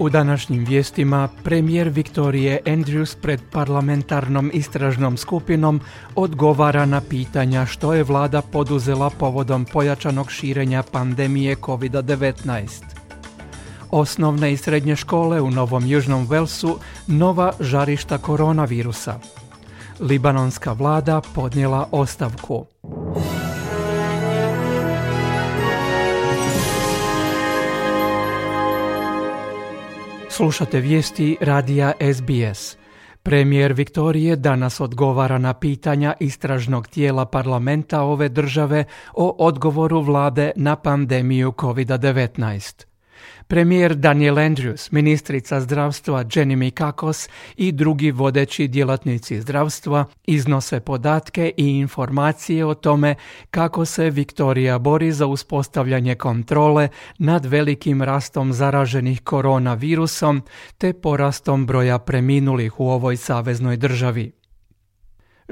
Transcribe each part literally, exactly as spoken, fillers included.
U današnjim vijestima premijer Victoria Andrews pred parlamentarnom istražnom skupinom odgovara na pitanja što je vlada poduzela povodom pojačanog širenja pandemije kovid devetnaest. Osnovne i srednje škole u Novom Južnom Velsu nova žarišta koronavirusa. Libanonska vlada podnijela ostavku. Slušate vijesti radija S B S. Premijer Viktorije danas odgovara na pitanja istražnog tijela parlamenta ove države o odgovoru vlade na pandemiju kovid devetnaest. Premijer Daniel Andrews, ministrica zdravstva Jenny Mikakos i drugi vodeći djelatnici zdravstva iznose podatke i informacije o tome kako se Viktorija bori za uspostavljanje kontrole nad velikim rastom zaraženih koronavirusom te porastom broja preminulih u ovoj saveznoj državi.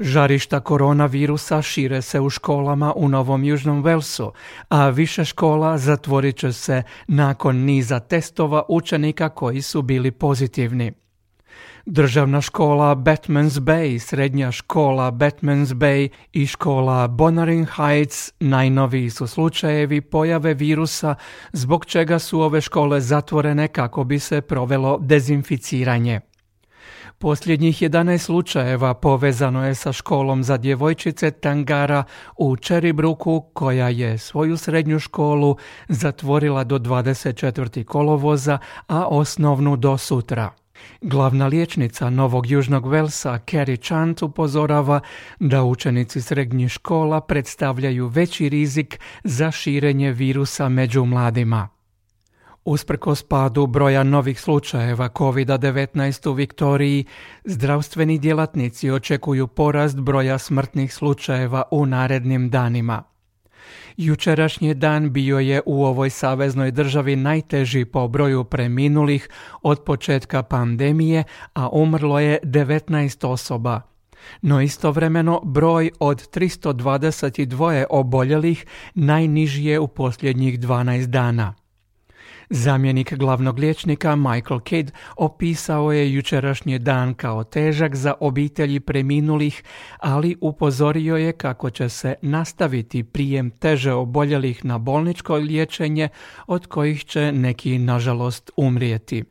Žarišta koronavirusa šire se u školama u Novom Južnom Velsu, a više škola zatvorit će se nakon niza testova učenika koji su bili pozitivni. Državna škola Batmans Bay, srednja škola Batmans Bay i škola Bonnering Heights najnoviji su slučajevi pojave virusa, zbog čega su ove škole zatvorene kako bi se provelo dezinficiranje. Posljednjih jedanaest slučajeva povezano je sa školom za djevojčice Tangara u Cherrybrooku, koja je svoju srednju školu zatvorila do dvadeset četvrtog kolovoza, a osnovnu do sutra. Glavna liječnica Novog Južnog Velsa, Carrie Chant, upozorava da učenici srednjih škola predstavljaju veći rizik za širenje virusa među mladima. Usprkos padu broja novih slučajeva kovid devetnaest u Viktoriji, zdravstveni djelatnici očekuju porast broja smrtnih slučajeva u narednim danima. Jučerašnji dan bio je u ovoj saveznoj državi najteži po broju preminulih od početka pandemije, a umrlo je devetnaest osoba. No istovremeno broj od tristo dvadeset dva oboljelih najniži je u posljednjih dvanaest dana. Zamjenik glavnog liječnika Michael Kidd opisao je jučerašnji dan kao težak za obitelji preminulih, ali upozorio je kako će se nastaviti prijem teže oboljelih na bolničko liječenje, od kojih će neki nažalost umrijeti.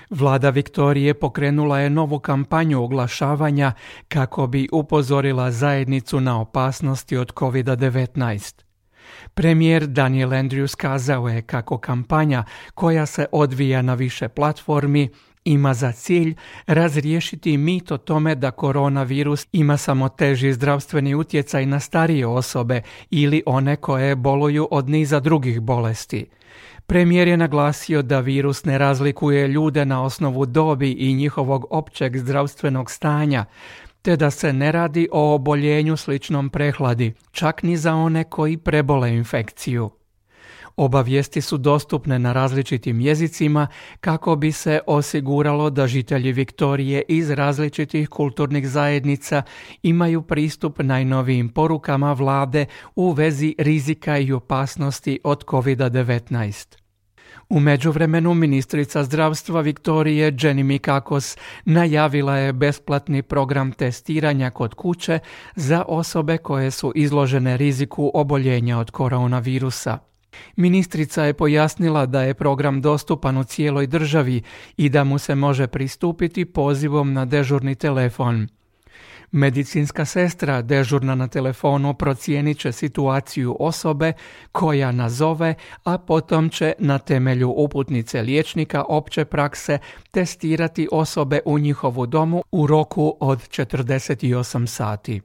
Vlada Viktorije pokrenula je novu kampanju oglašavanja kako bi upozorila zajednicu na opasnosti od kovid devetnaest. Premijer Daniel Andrews kazao je kako kampanja, koja se odvija na više platformi, ima za cilj razriješiti mit o tome da koronavirus ima samo teži zdravstveni utjecaj na starije osobe ili one koje boluju od niza drugih bolesti. Premijer je naglasio da virus ne razlikuje ljude na osnovu dobi i njihovog općeg zdravstvenog stanja, te da se ne radi o oboljenju sličnom prehladi, čak ni za one koji prebole infekciju. Oba vijesti su dostupne na različitim jezicima kako bi se osiguralo da žitelji Viktorije iz različitih kulturnih zajednica imaju pristup najnovijim porukama vlade u vezi rizika i opasnosti od kovid devetnaest. U međuvremenu ministrica zdravstva Viktorije Jenny Mikakos najavila je besplatni program testiranja kod kuće za osobe koje su izložene riziku oboljenja od koronavirusa. Ministrica je pojasnila da je program dostupan u cijeloj državi i da mu se može pristupiti pozivom na dežurni telefon. Medicinska sestra dežurna na telefonu procijenit će situaciju osobe koja nazove, a potom će na temelju uputnice liječnika opće prakse testirati osobe u njihovu domu u roku od četrdeset osam sati.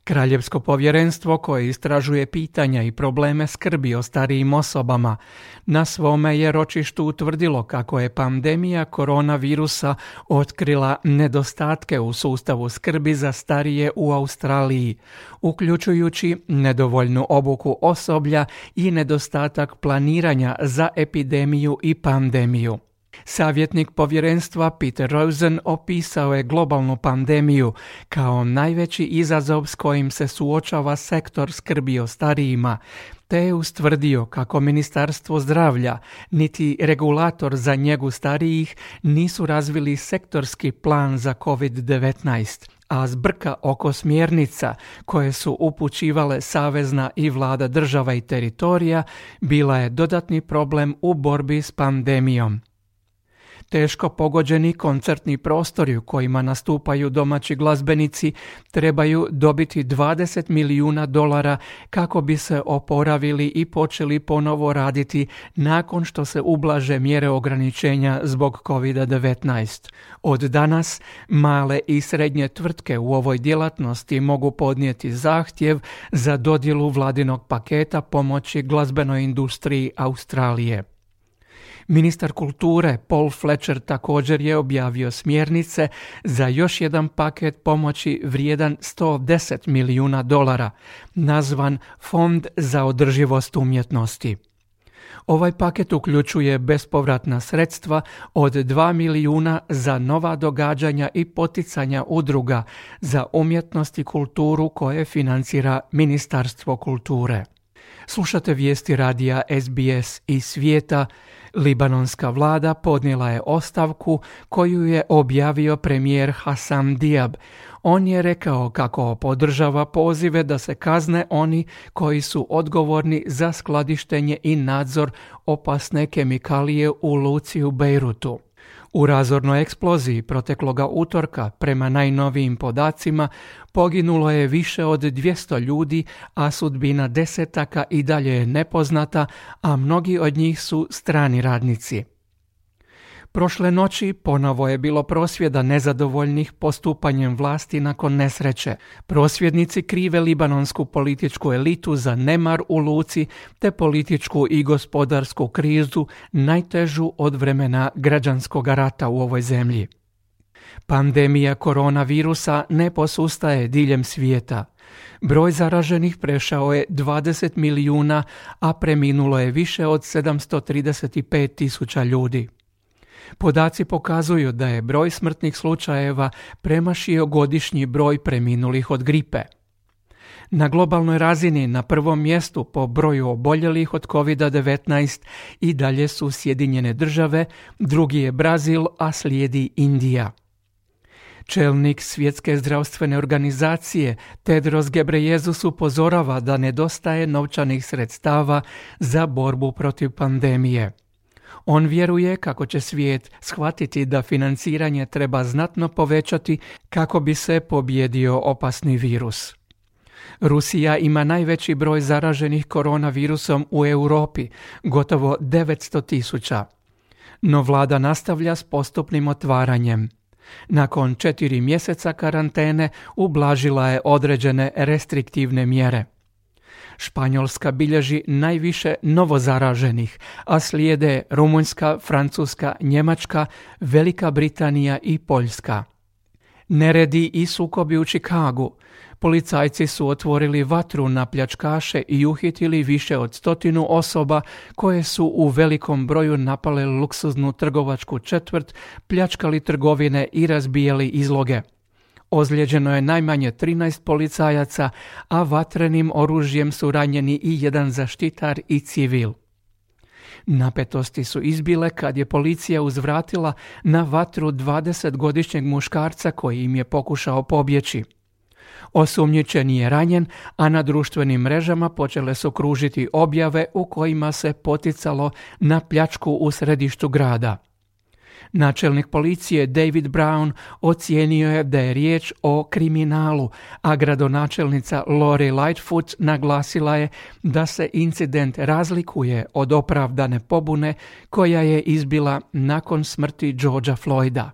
Kraljevsko povjerenstvo koje istražuje pitanja i probleme skrbi o starijim osobama na svome je ročištu utvrdilo kako je pandemija koronavirusa otkrila nedostatke u sustavu skrbi za starije u Australiji, uključujući nedovoljnu obuku osoblja i nedostatak planiranja za epidemiju i pandemiju. Savjetnik povjerenstva Peter Rosen opisao je globalnu pandemiju kao najveći izazov s kojim se suočava sektor skrbi o starijima, te je ustvrdio kako Ministarstvo zdravlja niti regulator za njegu starijih nisu razvili sektorski plan za kovid devetnaest, a zbrka oko smjernica koje su upućivale savezna i vlada država i teritorija bila je dodatni problem u borbi s pandemijom. Teško pogođeni koncertni prostori u kojima nastupaju domaći glazbenici trebaju dobiti dvadeset milijuna dolara kako bi se oporavili i počeli ponovo raditi nakon što se ublaže mjere ograničenja zbog kovid devetnaest. Od danas male i srednje tvrtke u ovoj djelatnosti mogu podnijeti zahtjev za dodjelu vladinog paketa pomoći glazbenoj industriji Australije. Ministar kulture Paul Fletcher također je objavio smjernice za još jedan paket pomoći vrijedan sto deset milijuna dolara, nazvan Fond za održivost umjetnosti. Ovaj paket uključuje bespovratna sredstva od dva milijuna za nova događanja i poticanja udruga za umjetnost i kulturu koje financira Ministarstvo kulture. Slušate vijesti radija S B S iz svijeta. Libanonska vlada podnijela je ostavku koju je objavio premijer Hassam Diab. On je rekao kako podržava pozive da se kazne oni koji su odgovorni za skladištenje i nadzor opasne kemikalije u luci u Bejrutu. U razornoj eksploziji protekloga utorka, prema najnovijim podacima, poginulo je više od dvjesto ljudi, a sudbina desetaka i dalje je nepoznata, a mnogi od njih su strani radnici. Prošle noći ponovo je bilo prosvjeda nezadovoljnih postupanjem vlasti nakon nesreće. Prosvjednici krive libanonsku političku elitu za nemar u luci te političku i gospodarsku krizu, najtežu od vremena građanskog rata u ovoj zemlji. Pandemija koronavirusa ne posustaje diljem svijeta. Broj zaraženih prešao je dvadeset milijuna, a preminulo je više od sedamsto trideset pet tisuća ljudi. Podaci pokazuju da je broj smrtnih slučajeva premašio godišnji broj preminulih od gripe. Na globalnoj razini na prvom mjestu po broju oboljelih od kovid devetnaest i dalje su Sjedinjene države, drugi je Brazil, a slijedi Indija. Čelnik Svjetske zdravstvene organizacije Tedros Ghebreyesus upozorava da nedostaje novčanih sredstava za borbu protiv pandemije. On vjeruje kako će svijet shvatiti da financiranje treba znatno povećati kako bi se pobijedio opasni virus. Rusija ima najveći broj zaraženih koronavirusom u Europi, gotovo devetsto tisuća. No vlada nastavlja s postupnim otvaranjem. Nakon četiri mjeseca karantene ublažila je određene restriktivne mjere. Španjolska bilježi najviše novozaraženih, a slijede Rumunjska, Francuska, Njemačka, Velika Britanija i Poljska. Neredi i sukobi u Chicagu. Policajci su otvorili vatru na pljačkaše i uhitili više od stotinu osoba koje su u velikom broju napale luksuznu trgovačku četvrt, pljačkali trgovine i razbijali izloge. Ozlijeđeno je najmanje trinaest policajaca, a vatrenim oružjem su ranjeni i jedan zaštitar i civil. Napetosti su izbile kad je policija uzvratila na vatru dvadesetgodišnjeg muškarca koji im je pokušao pobjeći. Osumnjičeni je ranjen, a na društvenim mrežama počele su kružiti objave u kojima se poticalo na pljačku u središtu grada. Načelnik policije David Brown ocijenio je da je riječ o kriminalu, a gradonačelnica Lori Lightfoot naglasila je da se incident razlikuje od opravdane pobune koja je izbila nakon smrti Georgea Floyda.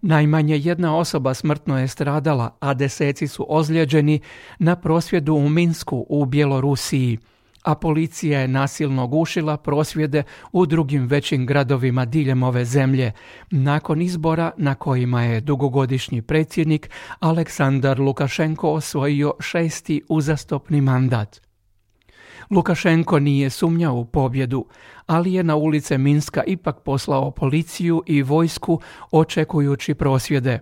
Najmanje jedna osoba smrtno je stradala, a deseci su ozlijeđeni na prosvjedu u Minsku u Bjelorusiji, a policija je nasilno gušila prosvjede u drugim većim gradovima diljem ove zemlje, nakon izbora na kojima je dugogodišnji predsjednik Aleksandar Lukašenko osvojio šesti uzastopni mandat. Lukašenko nije sumnjao u pobjedu, ali je na ulice Minska ipak poslao policiju i vojsku očekujući prosvjede.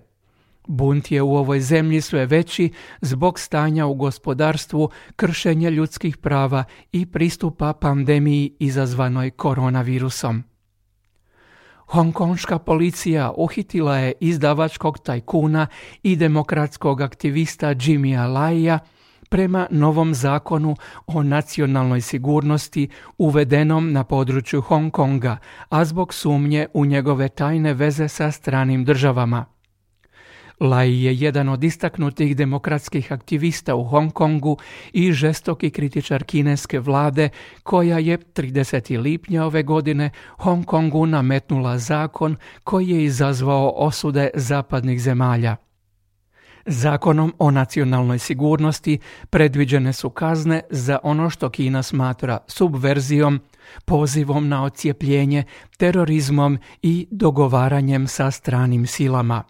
Bunt je u ovoj zemlji sve veći zbog stanja u gospodarstvu, kršenja ljudskih prava i pristupa pandemiji izazvanoj koronavirusom. Hongkonška policija uhitila je izdavačkog tajkuna i demokratskog aktivista Jimmya Laia prema novom zakonu o nacionalnoj sigurnosti uvedenom na području Hong Konga, a zbog sumnje u njegove tajne veze sa stranim državama. Lai je jedan od istaknutih demokratskih aktivista u Hong Kongu i žestoki kritičar kineske vlade koja je tridesetog lipnja ove godine Hong Kongu nametnula zakon koji je izazvao osude zapadnih zemalja. Zakonom o nacionalnoj sigurnosti predviđene su kazne za ono što Kina smatra subverzijom, pozivom na odcijepljenje, terorizmom i dogovaranjem sa stranim silama.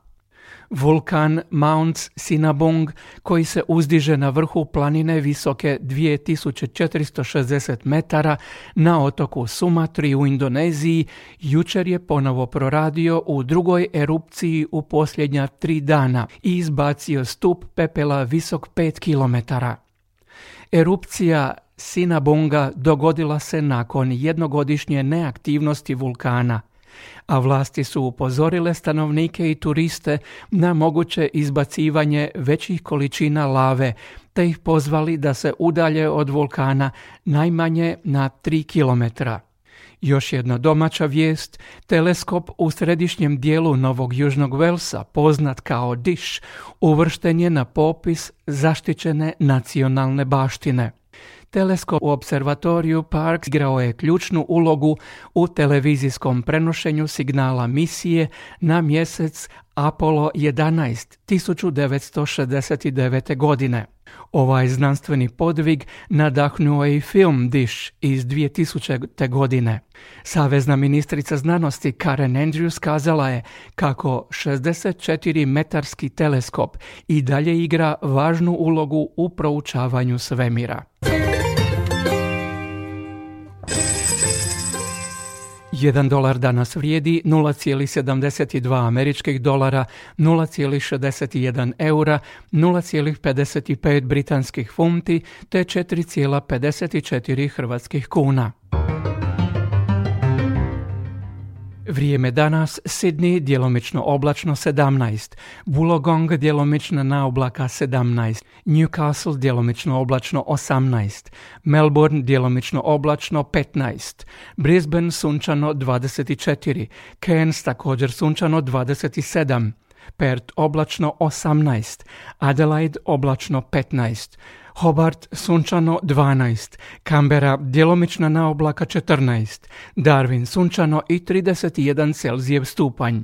Vulkan Mount Sinabung, koji se uzdiže na vrhu planine visoke dvije tisuće četiristo šezdeset metara na otoku Sumatri u Indoneziji, jučer je ponovo proradio u drugoj erupciji u posljednja tri dana i izbacio stup pepela visok pet kilometara. Erupcija Sinabunga dogodila se nakon jednogodišnje neaktivnosti vulkana, a vlasti su upozorile stanovnike i turiste na moguće izbacivanje većih količina lave, te ih pozvali da se udalje od vulkana najmanje na tri kilometra. Još jedna domaća vijest, teleskop u središnjem dijelu Novog Južnog Velsa, poznat kao Dish, uvršten je na popis zaštićene nacionalne baštine. Teleskop u observatoriju Parkes igrao je ključnu ulogu u televizijskom prenošenju signala misije na mjesec Apollo jedanaest tisuću devetsto šezdeset devete. godine. Ovaj znanstveni podvig nadahnuo je i film Dish iz dvije tisućite. godine. Savezna ministrica znanosti Karen Andrews kazala je kako šezdeset četiri metarski teleskop i dalje igra važnu ulogu u proučavanju svemira. Jedan dolar danas vrijedi nula zarez sedamdeset dva američkih dolara, nula zarez šezdeset jedan eura, nula zarez pedeset pet britanskih funti te četiri zarez pedeset četiri hrvatskih kuna. Vrijeme danas: Sydney djelomično oblačno sedamnaest, Wollongong djelomično na oblaka sedamnaest, Newcastle djelomično oblačno osamnaest, Melbourne djelomično oblačno petnaest, Brisbane sunčano dvadeset četiri, Cairns također sunčano dvadeset sedam, Perth oblačno osamnaest, Adelaide oblačno petnaest, Hobart sunčano dvanaest, Canberra djelomična na oblaka četrnaest, Darwin sunčano i trideset jedan Celzijev stupanj.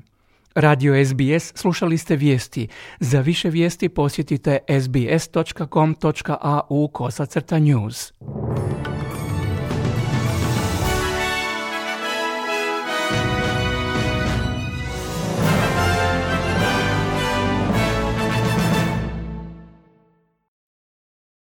Radio S B S slušali ste vijesti. Za više vijesti posjetite sbs točka com točka au kosacrta news.